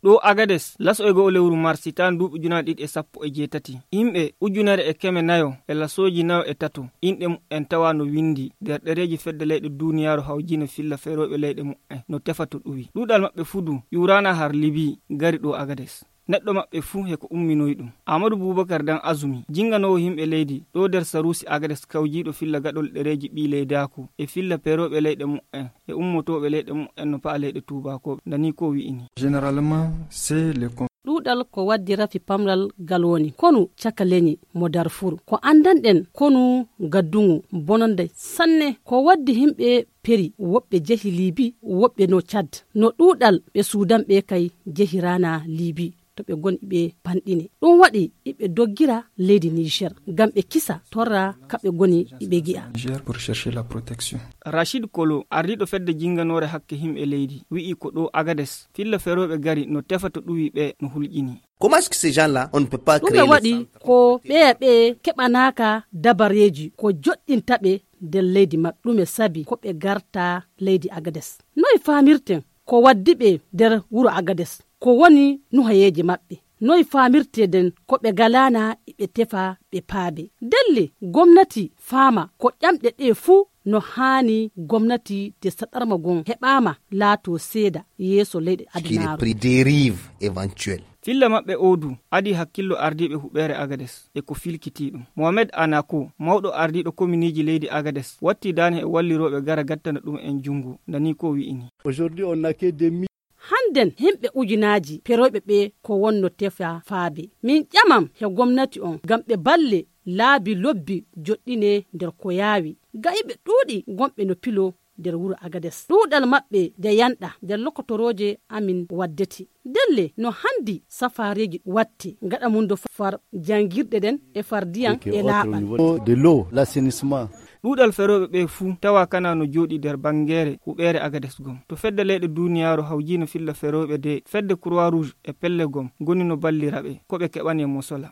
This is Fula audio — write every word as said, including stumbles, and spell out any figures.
Ɗo Agades, laso e go'o lewru mars, hitaande duuɓi ujunaaji ɗiɗi e sappo e jeetati, yimɓe ujunere e keme nayo e lasooji nayo e tato, inɗe mumen tawa no winndi nder ɗereeji fedde leyɗe duuniyaaru hawjiino filla ferooɓe leyɗe mumen no tefa to ɗuwi. Ɗuuɗal maɓɓe fuu du ƴuuraana har Libi gari ɗo Agades. Neɗɗo maɓɓe fuu he ko umminoyi ɗum. Aamadu Buubakar Dan Azumi, jinnganoowo yimɓe leydi ɗo nder saruusi Agades kawjiiɗo filla gaɗol ɗereeji ɓii leydaaku e filla perooɓe leyɗe mumen e ummotooɓe leyɗe mumen no pa'a leyɗe tuubaakooɓe, nani ko wi'ini. Généralement, c'est le con- Ɗuuɗal ko waddi rafi pamral galoni, konu caka leñi mo Darfur. Ko anndanɗen konu gaddungu bononde sanne. Ko waddi yimɓe peri, woɓɓe jehi Libi, woɓɓe no Cad. No ɗuuɗal ɓe Suudan ɓe kay jehi rana Libi. To ɓe goni ɓe panɗine. Ɗum waɗi iɓe doggira leydi Niger. Ngam ɓe kisa torra kaɓe goni iɓe gi'a. Niger pour chercher la protection. Rachid Kolo, ardiiɗo fedde jinnganoore hakke yimɓe leydi, wi'i ko ɗo Agades, filla ferooɓe gari no tefa to ɗuwi ɓe no hulƴini. Comment est-ce que ces gens-là, on ne peut pas Ɗume créer les waɗi centres ko ɓeya ɓe keɓanaaka dabareeji ko joɗɗinta ɓe nder leydi maɓɓe? Ɗume sabi ko ɓe garta leydi Agades? Noy faamirten ko waddi ɓe nder wuro Agades? Ko woni nuhayeeje maɓɓe? Noy faamirteden ko ɓe galaana iɓe tefa ɓe paabe? Delle, gomnati faama ko ƴamɗe ɗe fuu no haani gomnati de saɗarma gon heɓaama laato seeda yeeso leyɗe adunaaru. Qui est pris dérive éventuelle. Filla maɓɓe oo du adii hakkillo ardiiɓe huɓeere Agades e ko filkitii ɗum. Mohamed Anako, mawɗo ardiiɗo kominiiji leydi Agades, watti daane e wallirooɓe gara gattana ɗum en junngo, nani ko wi'ini. Aujourd'hui, on n'a que des mi- Hannden himɓe ujunaaji peroyɓe ɓe ko wonno tefa faabe. Min ƴamam he gomnati on ngam ɓe balle laabi lobbi joɗɗine nder ko yaawi. Ga'iɓe ɗuuɗi gonɓe no pilo nder wuro Agades. Ɗuuɗal maɓɓe de yanɗa nder lokotorooje amin waddete. Delle no handi safaareeji watte gaɗa mum do far janngirɗe ɗen e far diyan e laaɓal. De l'eau, l'assainissement. Ɗuuɗal ferooɓe ɓe fuu tawa kana no jooɗi nder banngeere huɓeere Agades gom. To fedde leyɗe duuniyaaru hawjiino filla ferooɓe de fedde Croix Rouge e pelle gom goni no ballira ɓe ko ɓe keɓane mosola.